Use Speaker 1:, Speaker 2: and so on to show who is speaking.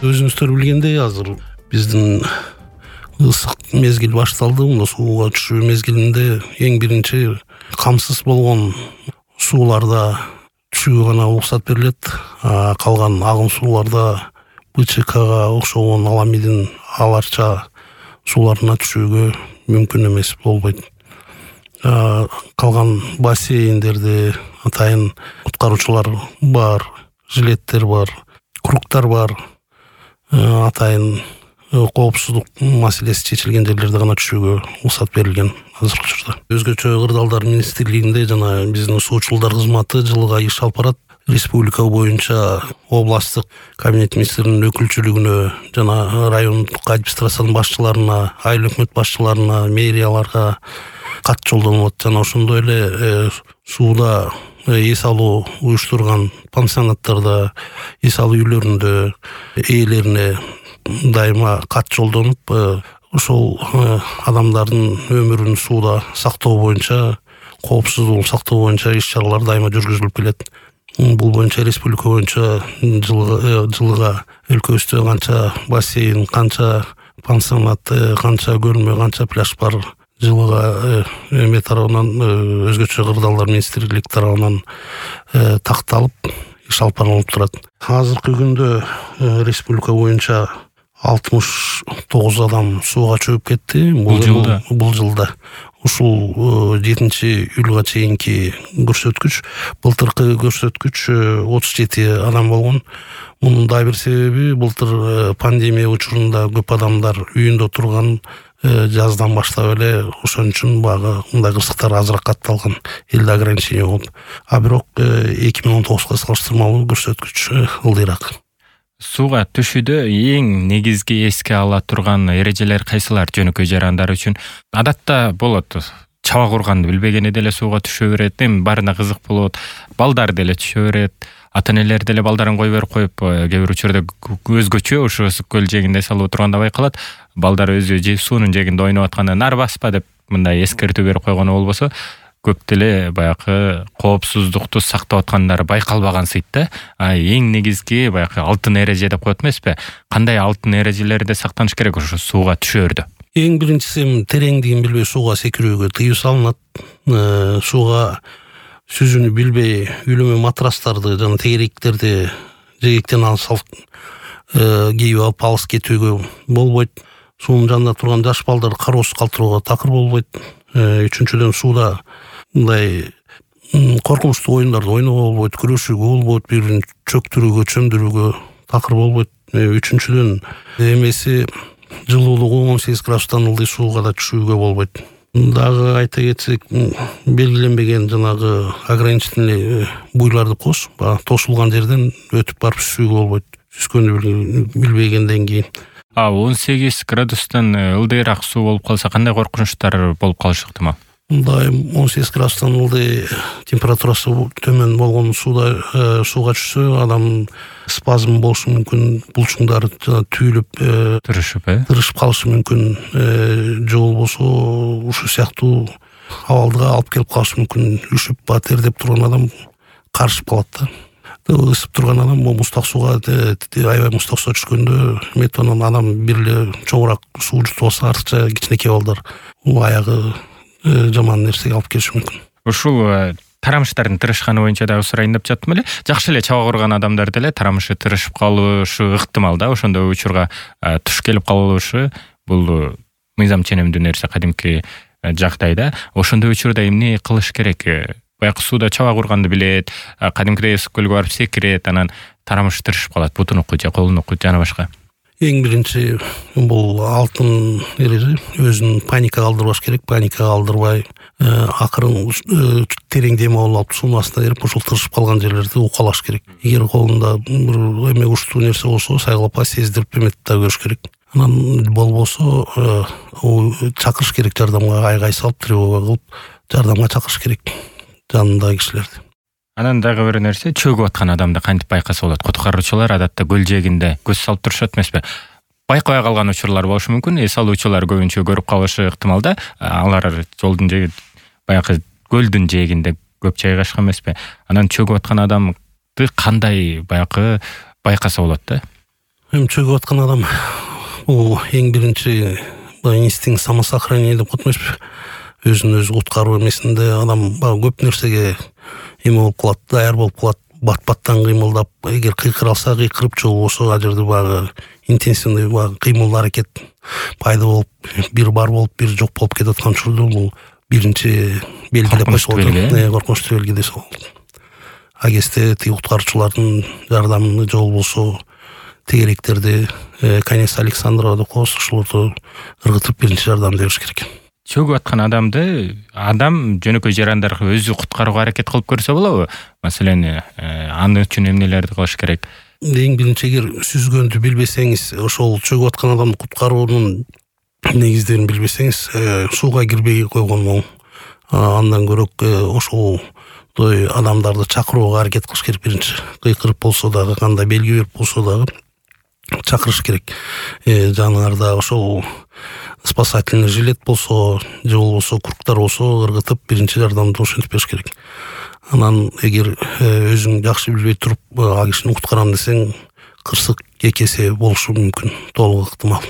Speaker 1: Өзүңүздөр билгендей азыр биздин ысык мезгил башталды. Мына сууга түшүү мезгилинде эң биринчи камсыз болгон сууларда түшүүгө гана уруксат берилет. Калган агым сууларда БЧКга окшогон аламидин аларча сууларына түшүүгө мүмкүн эмес, болбойт. Калган бассейндерде атайын куткаруучулар бар, жилеттер бар, кругтар бар. Атайын коопсуздук маселеси чечилген жерлерде гана түшүүгө уруксат берилген азыркы учурда. Өзгөчө кырдаалдар министрлигинде жана биздин суучулдар кызматы жылга иш алып барат. Республика боюнча областтык кабинет министринин өкүлчүлүгүнө жана райондук администрациянын башчыларына, айыл өкмөт башчыларына, мэрияларга кат жолдонулат. Жана ошондой эле сууда эс алуу уюштурган пансионаттарда, эс алуу үйлөрүндө ээлерине дайыма кат жолдонуп, ошол адамдардын өмүрүн сууда сактоо боюнча, коопсуздугун сактоо боюнча иш-чаралар дайыма жүргүзүлүп келет. Бул боюнча республика боюнча жылга өлкөбүздө канча бассейн, канча пансионат, канча көлмө, канча пляж бар, жылга эме тарабынан, өзгөчө кырдаалдар министрлик тарабынан такталып иш алып барылып турат. Азыркы күндө республика боюнча 69 адам сууга чөгүп кетти. Бул жылда. Ушул 7-июлга чейинки көрсөткүч. Былтыркы көрсөткүч 37 адам болгон. Мунун да бир себеби былтыр пандемия учурунда көп адамдар үйүндө турган, жаздан баштап эле ошон үчүн багы мындай кырсыктар азыраак катталган, элде ограничение болуп. А бирок 2019-га салыштырмалуу көрсөткүч ылдыйраак.
Speaker 2: Сууга түшүүдө эң негизги эске ала турган эрежелер кайсылар жөнөкөй жарандар үчүн? Адатта болот. Чабак урганды билбегени деле сууга түшө берет, эми баарына кызык болот. Балдар деле түшө берет. Ата-энелер деле балдарын кой берип коюп, кээ бир учурда өзгөчө ошо көл жээгинде салып отурганда байкалат. Балдар өзү суунун жээгинде ойноп атканда нар баспа деп мындай эскертүү берип койгону болбосо, көп деле баягы коопсуздукту сактап аткандары байкалбаган сыйт да. Эң негизги баягы алтын эреже деп коет эмеспи? Кандай алтын эрежелерде сактаныш керек ошо сууга түшөөрдө?
Speaker 1: Эң биринчиси тереңдигин билбей сууга секирүүгө тыюу салынат. Сууга сүзүүнү билбей үйлөмө матрастарды жана тегеректерди жээгиктен алып кийип алып алыс кетүүгө болбойт. Суунун жанында турган жаш балдарды кароосуз калтырууга такыр болбойт. Үчүнчүдөн сууда мындай коркунучтуу оюндарды ойноого болбойт, күрөшүүгө болбойт, бири-бирин чөктүрүүгө, чөмдүрүүгө такыр болбойт. Үчүнчүдөн эмеси жылуулугу 18 градустан ылдый сууга да түшүүгө болбойт. Дагы айта кетсек, белгиленбеген жанагы ограничительный буйларды кош, тосулган жерден өтүп барып сүзүүгө болбойт. Сүзгөндү билбегенден кийин.
Speaker 2: 18 градустан ылдыйраак суу болуп калса кандай коркунучтар болуп калышы ыктымал?
Speaker 1: Мындай 18 градустан ылдый температурасы төмөн болгон сууга түшсө, адам спазм болушу мүмкүн, булчуңдары түйүлүп, тырышып калышы мүмкүн, же болбосо ушул сыяктуу абалга алып келип калышы мүмкүн. Үшүп, тердеп турган адам карышып калат да. Ысып турган адам муздак сууга, аябай муздак сууга түшкөндө, метонон адам бир эле чоңураак суу жутуп алса, артыкча кичинекей балдар аягы жаман нерсеге алып келиши мүмкүн.
Speaker 2: Ушул тарамыштардын тырышканы боюнча дагы сурайын деп жаттым эле. Жакшы эле чабак урган адамдар деле тарамышы тырышып калышы ыктымал да. Ошондой учурга туш келип калышы бул мыйзам ченемдүү нерсе, кадимки жагдайда. Ошондой учурда эмне кылыш керек? Баягы сууда чабак урганды билет, кадимкидей ысык көлгө барып секирет, анан тарамышы тырышып калат, бутунуку же колунуку жана башка.
Speaker 1: Эң биринчи бул алтын эреже, өзүн паникага алдырбаш керек, паникага алдырбай, акырын терең дем алып суунун астына кирип, ошол тырышып калган жерлерди укалаш керек. Эгер колунда бир эме учтуу нерсе болсо, сайгалап сездирип эметип да көрүш керек. Анан болбосо чакырыш керек жардамга, айгай салып, тревога кылып, жардамга чакырыш керек жанындагы кишилерди.
Speaker 2: Анан дагы бир нерсе, чөгүп аткан адамды кантип байкаса болот? Куткаруучулар адатта көл жээгинде көз салып турушат эмеспи? Байкабай калган учурлар болушу мүмкүн. Эс алуучулар көбүнчө көрүп калышы ыктымал да. Алар жолдун жээги, баягы көлдүн жээгинде көп жайгашкан эмеспи? Анан чөгүп аткан адамды кандай баягы байкаса болот да?
Speaker 1: Эми чөгүп аткан адам бул эң биринчи инстинкт самосохранение деп коет эмеспи, өзүн өзү куткаруу эмесинде адам баягы көп нерсеге эме болуп калат, даяр болуп калат, бат-баттан кыймылдап, эгер кыйкыра алса кыйкырып, же болбосо ал жерде баягы интенсивный баягы кыймыл аракет пайда болуп, бир бар болуп, бир жок болуп кетип аткан учурда бул биринчи белги деп койсо болот, коркунучтуу белги десе болот. А кезде тиги куткаруучулардын жардамы же болбосо тегеректерди, конец Александрова деп коебуз, ошолорду ыргытып биринчи жардам бериш керек.
Speaker 2: Чөгүп аткан адамды адам жөнөкөй жарандарга өзү куткарууга аракет кылып көрсө болобу? Маселен, аны үчүн эмнелерди кылыш керек?
Speaker 1: Эң биринчи эгер сүзгөндү билбесеңиз, ошол чөгүп аткан адамды куткаруунун негиздерин билбесеңиз, сууга кирбей койгон оң. Андан көрөк ошолдой адамдарды чакырууга аракет кылыш керек биринчи. Кыйкырып болсо дагы, кандай белги берип болсо дагы чакырыш керек. Жаныңарда ошол спасательный жилет болсо, же болбосо круктар болсо, ыргытып биринчи жардамды ошентип бериш керек. Анан эгер өзүң жакшы билбей туруп ал кишини куткарам десең, кырсык эки эсе болушу мүмкүн, толук ыктымал.